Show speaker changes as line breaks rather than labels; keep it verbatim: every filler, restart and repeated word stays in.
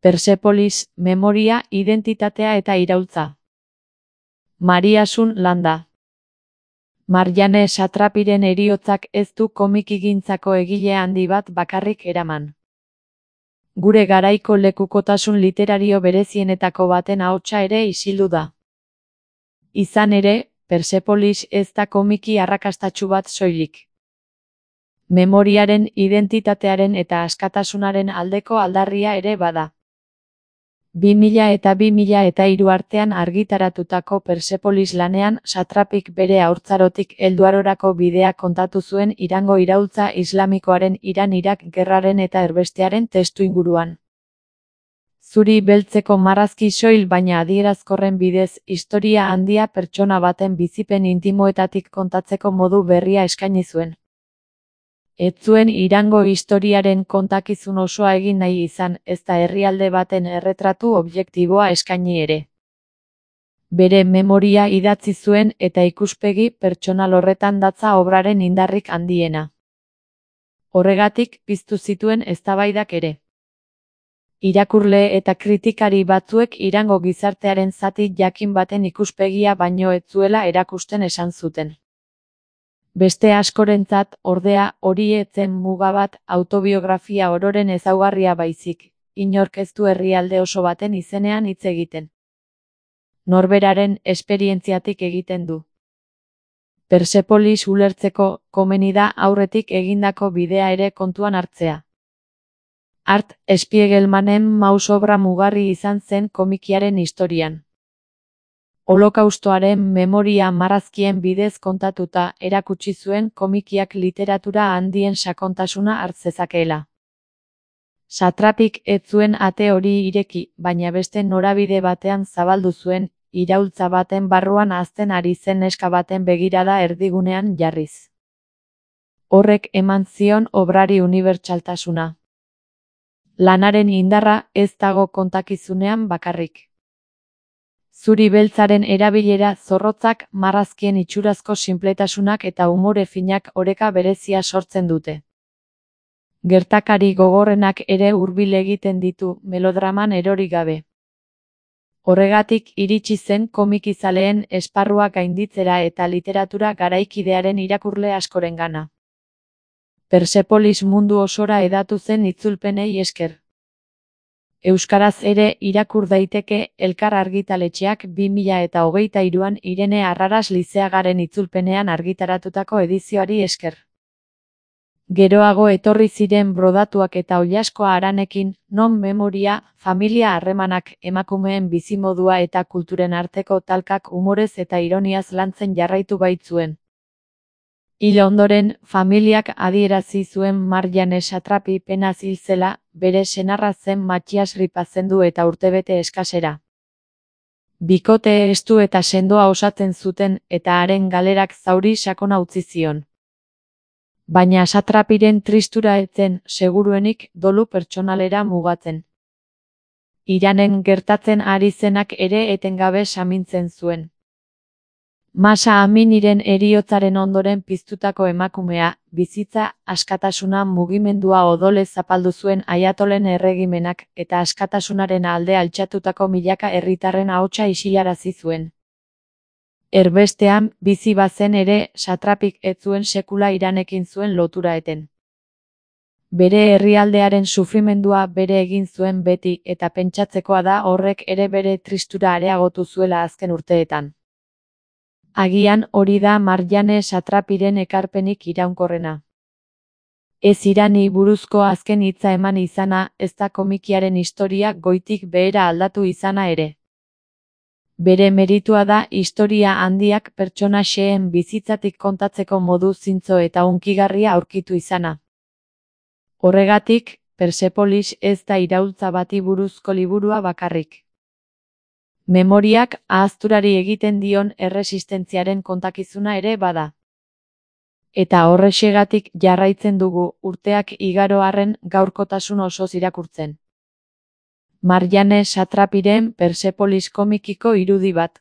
Persepolis, memoria, identitatea eta iraultza. Mariasun Landa. Marjane Satrapiren heriotzak ez du komikigintzako egile handi bat bakarrik eraman. Gure garaiko lekukotasun literario berezienetako baten ahotsa ere isildu da. Izan ere, Persepolis ez da komiki arrakastatsu bat soilik. Memoriaren, identitatearen eta askatasunaren aldeko aldarria ere bada. bi mila eta bi mila eta hiru artean argitaratutako Persepolis lanean Satrapik bere haurtzarotik helduarorako bidea kontatu zuen Irango iraultza islamikoaren Iran-Irak gerraren eta erbestearen testuinguruan. Zuri beltzeko marrazki soil baina adierazkorren bidez historia handia pertsona baten bizipen intimoetatik kontatzeko modu berria eskaini zuen. Ez zuen Irango historiaren kontakizun osoa egin nahi izan, ezta herrialde baten erretratu objektiboa eskaini ere. Bere memoria idatzi zuen eta ikuspegi pertsonal horretan datza obraren indarrik handiena. Horregatik piztu zituen eztabaidak ere. Irakurle eta kritikari batzuek Irango gizartearen zati jakin baten ikuspegia baino ez zuela erakusten esan zuten. Beste askorentzat, ordea, hori ez zen muga bat autobiografia ororen ezaugarria baizik, inork ez du herrialde oso baten izenean hitz egiten. Norberaren esperientziatik egiten du. Persepolis ulertzeko, komeni da aurretik egindako bidea ere kontuan hartzea. Art Spiegelmanen mausobra mugarri izan zen komikiaren historian. Holokaustoaren memoria marrazkien bidez kontatuta erakutsi zuen komikiak literatura handien sakontasuna hart zezakeela. Satrapik ez zuen ate hori ireki, baina beste norabide batean zabaldu zuen, iraultza baten barruan hazten ari zen neska baten begirada erdigunean jarriz. Horrek eman zion obrari unibertsaltasuna. Lanaren indarra ez dago kontakizunean bakarrik. Zuri beltzaren erabilera zorrotzak, marrazkien itxurazko sinpletasunak eta umore finak oreka berezia sortzen dute. Gertakari gogorrenak ere hurbil egiten ditu, melodraman erori gabe. Horregatik iritsi zen komikizaleen esparrua gainditzera eta literatura garaikidearen irakurle askorengana. Persepolis mundu osora hedatu zen itzulpenei esker. Euskaraz ere irakur daiteke Elkar argitaletxeak bi mila eta hogeita hiruan Irene Arraras Lizeagaren itzulpenean argitaratutako edizioari esker. Geroago etorri ziren brodatuak eta oilaskoa haranekin, non memoria, familia harremanak, emakumeen bizimodua eta kulturen arteko talkak umorez eta ironiaz lantzen jarraitu baitzuen. Hil ondoren, familiak adierazi zuen Marjane Satrapi penaz hil zela, bere senarra zen Mattias Ripazendu eta urtebete eskasera. Bikote estu eta sendoa osatzen zuten eta haren galerak zauri sakona utzi zion. Baina Satrapiren tristura ez zen, seguruenik, dolu pertsonalera mugatzen. Iranen gertatzen ari zenak ere etengabe samintzen zuen. Masa Aminiren heriotzaren ondoren piztutako emakumea, bizitza, askatasuna mugimendua odolez zapaldu zuen Ayatolen erregimenak eta askatasunaren alde altxatutako milaka herritarren ahotsa isilarazi zuen. Erbestean, bizi bazen ere, Satrapik ez zuen sekula Iranekin zuen lotura eten. Bere herrialdearen sufrimendua bere egin zuen beti eta pentsatzekoa da horrek ere bere tristura areagotu zuela azken urteetan. Agian hori da Marjane Satrapiren ekarpenik iraunkorrena. Ez Irani buruzko azken hitza eman izana, ez da komikiaren historia goitik behera aldatu izana ere. Bere meritua da historia handiak pertsona xeheen bizitzatik kontatzeko modu zintzo eta hunkigarria aurkitu izana. Horregatik, Persepolis ez da iraultza bati buruzko liburua bakarrik. Memoriak ahazturari egiten dion erresistentziaren kontakizuna ere bada. Eta horrexegatik jarraitzen dugu urteak igaro arren gaurkotasun osoz irakurtzen. Marjane Satrapiren Persepolis komikiko irudi bat.